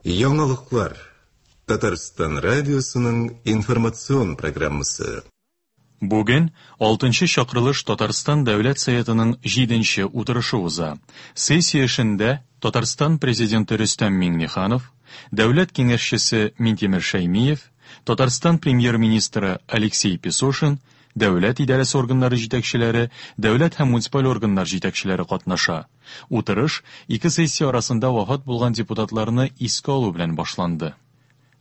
Яңалыклар. Татарстан радиосының информацион программасы. Бүген алтынчы чакырылыш Татарстан Дәүләт Советының җиденче утырышы уза. Сессия эшендә Татарстан Президенты Рөстәм Миңнеханов, Дәүләт Киңәшчесе Минтимер Шәймиев, Татарстан Премьер-министры Алексей Песошин, дәүләт идарәсе органнары җитәкчеләре, дәүләт һәм муниципаль органнар җитәкчеләре катнаша. Утырыш ике сессия арасында вафат булган депутатларны искә алу белән башланды.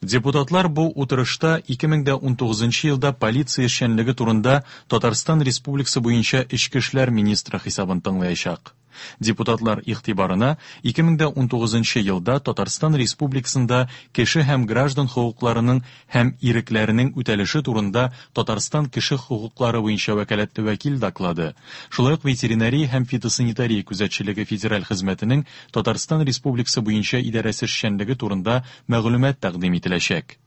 Депутатлар бу утырышта 2019 елда полиция эшчәнлеге турында Татарстан Республикасы буенча Эчке эшләр министры хисабын тыңлаячак. Депутатлар игътибарына 2019 елда Татарстан Республикасында кеше һәм граждан хокукларының һәм ирекләренең үтәлеше турында Татарстан кеше хокуклары буенча вәкаләтле вәкил доклады, шулай ук ветеринария һәм фитосанитария күзәтчелеге федераль хезмәтенең Татарстан Республикасы буенча идарәсе эшчәнлеге турында мәгълүмат тәкъдим ителәчәк.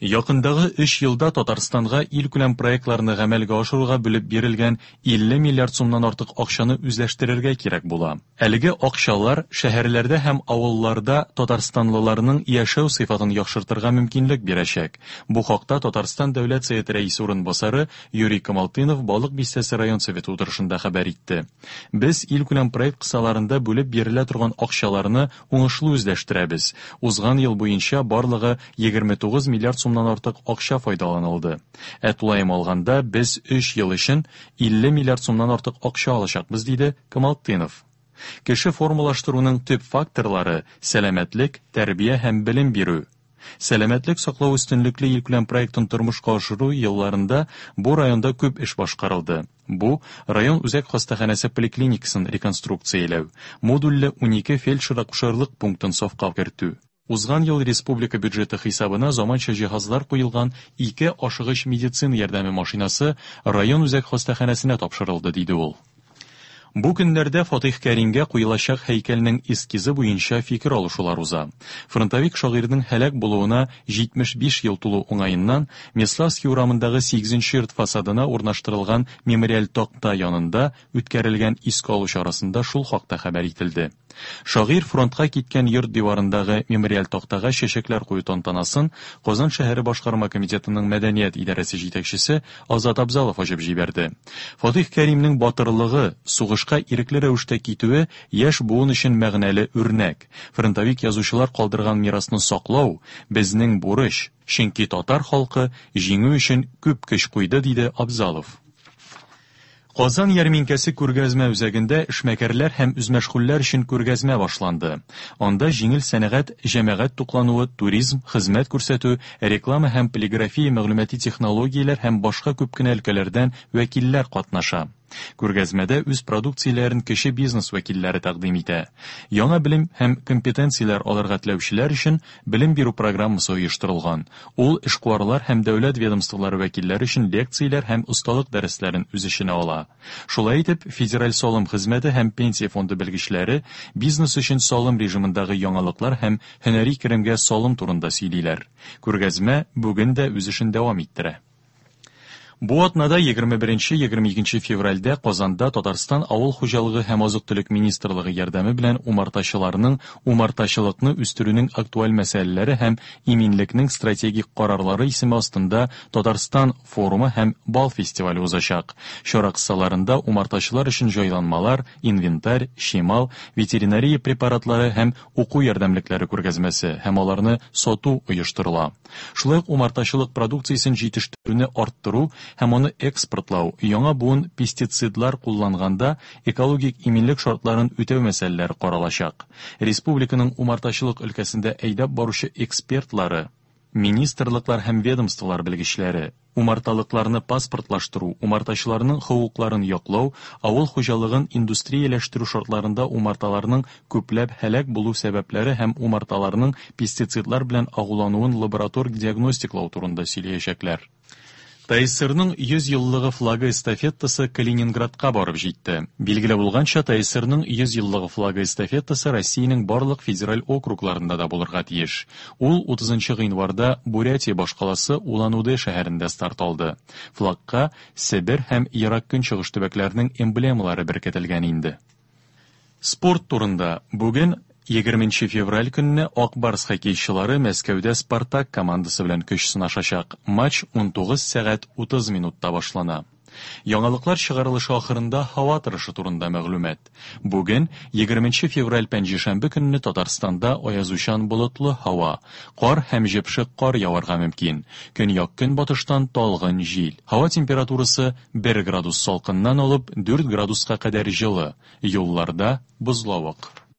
Якындагы өч елда Татарстанга илкүләм проектларны гамәлгә ашыруга бүлеп бирелгән 50 миллиард сумнан артык акчаны үзләштерергә кирәк була. Әлеге акчалар шәһәрләрдә һәм авылларда татарстанлыларның яшәү сыйфатын яхшыртырга мөмкинлек бирәчәк. Бу хакта Татарстан Дәүләт Советы Рәисе урынбасары Юрий Камалтынов Балык Бистәсе район Советы утырышында хәбәр итте. Без илкүләм проект кысаларында бүлеп бирелә торган акчаларны уңышлы үзләштерәбез. Узган ел буенча барлыгы 29 миллиард сумнан артык акча файдаланылды. Ә тулаем алганда, без өч ел өчен 50 миллиард сумнан артык акча алачакбыз, диде Камалтынов. Кеше формалаштыруның төп факторлары, сәламәтлек, тәрбия һәм белем бирү. Сәламәтлек саклау өстенлекле илкүләм проектын тормышка ашыру елларында бу районда күп эш башкарылды. Бу, район үзәк хастаханәсе поликлиникасын реконструкцияләү, модульле унике фельдшер-акушерлык пунктын сафка кертү. Узган ел республика бюджеты хисабына заманча җиһазлар куелган ике ашыгыч медицина ярдәме машинасы район үзәк хастаханәсенә тапшырылды, диде ул. Бу көннәрдә Фатыйх Кәримгә куелачак һәйкәлнең эскизы буенча фикер алышулар уза. Фронтовик шагыйрьнең һәлак булуына 75 ел тулу уңаеннан Меславский урамындагы сигезенче йорт фасадына урнаштырылган мемориаль такта янында үткәрелгән искә алу чарасында шул хакта хәбәр ителде. Шагыйрь фронтка киткән йорт диварындагы мемориаль тактага чәчәкләр кую тантанасын Казан шәһәре башкарма комитетының мәдәният идарәсе җитәкчесе Азат Абзалов ачып җибәрде. Фатыйх Кәримнең батырлыгы, сугышка ирекле рәвештә китүе яшь буын өчен мәгънәле үрнәк. Фронтовик язучылар калдырган мирасны саклау, безнең бурыч, чөнки татар халкы җиңү өчен күп көч куйды, диде Абзалов. Казан ярминкәсе күргәзмә үзәгендә эшмәкәрләр һәм үзмәшгульләр өчен күргәзмә башланды. Анда җиңел сәнәгать, җәмәгать туклануы, туризм, хезмәт күрсәтү, реклама һәм полиграфия мәгълүмати технологияләр һәм башка күп кенә өлкәләрдән вәкилләр катнаша. Күргәзмәдә үз продукцияләрен кече бизнес вәкилләре тәкъдим итә. Яңа белем һәм компетенцияләр алырга теләүчеләр өчен белем бирү программасы оештырылган. Ул эшкуарлар һәм дәүләт ведомстволары вәкилләре өчен лекцияләр һәм осталык дәресләрен үз эченә ала. Шулай итеп, Федераль салым хезмәте һәм Пенсия фонды белгечләре бизнес өчен салым режимындагы яңалыклар һәм һөнәри керемгә салым турында сөйлиләр. Күргәзмә бүген дә үз эшен дәвам иттерә. Бу атнада 21-22 февральдә Казанда Татарстан Авыл хуҗалыгы һәм азык-төлек министрлыгы ярдәме белән умартачыларның умартачылыкны үстерүнең актуаль мәсьәләләре һәм иминлекнең стратегик карарлары исеме астында Татарстан форумы һәм бал фестивале узачак. Чара кысаларында умартачылар өчен җайланмалар, инвентарь, чимал, ветеринария препаратлары һәм уку ярдәмлекләре күргәзмәсе һәм аларны сату оештырыла. Шулай ук умартачылык продукциясен җитештерүне арттыру һәм аны экспортлау, яңа буын пестицидлар кулланганда экологик иминлек шартларын үтәү мәсьәләләре каралачак. Республиканың умартачылык өлкәсендә әйдәп баручы экспертлары, министрлыклар һәм ведомстволар белгечләре, умарталыкларны паспортлаштыру, умартачыларның хокукларын яклау, авыл хуҗалыгын индустрияләштерү шартларында умарталарның күпләп һәлак булу сәбәпләре һәм умарталарның пестицидлар белән агулануын лаборатор диагностиклау турында сөйләячәкләр. ТАССРның 100 еллыгы флагы эстафетасы Калининградка барып җитте. Билгеле булганча, ТАССРның 100 еллыгы флагы эстафетасы Россиянең барлык федераль округларында да булырга тиеш. Ул 30 гыйнварда Бурятия башкаласы Улан-Удэ шәһәрендә старт алды. Флагка Себер һәм Ерак Көнчыгыш төбәкләренең эмблемалары беркетелгән инде. Спорт турында. Бүген 20 февраль көнне Ак Барс хоккейчылары Мәскәүдә Спартак командасы белән көч сынашачак. Матч 19 сәгать 30 минутта башлана. Яңалыклар чыгарылышы ахырында һава торышы турында мәгълүмат. Бүген, 20 февраль пәнҗешәмбе көнне Татарстанда аязучан болытлы һава, кар һәм җепшек кар яварга мөмкин. Көньяк-көнбатыштан талгын җил. Һава температурасы 1 градус салкыннан алып 4 градуска кадәр җылы. Юлларда бозлавык.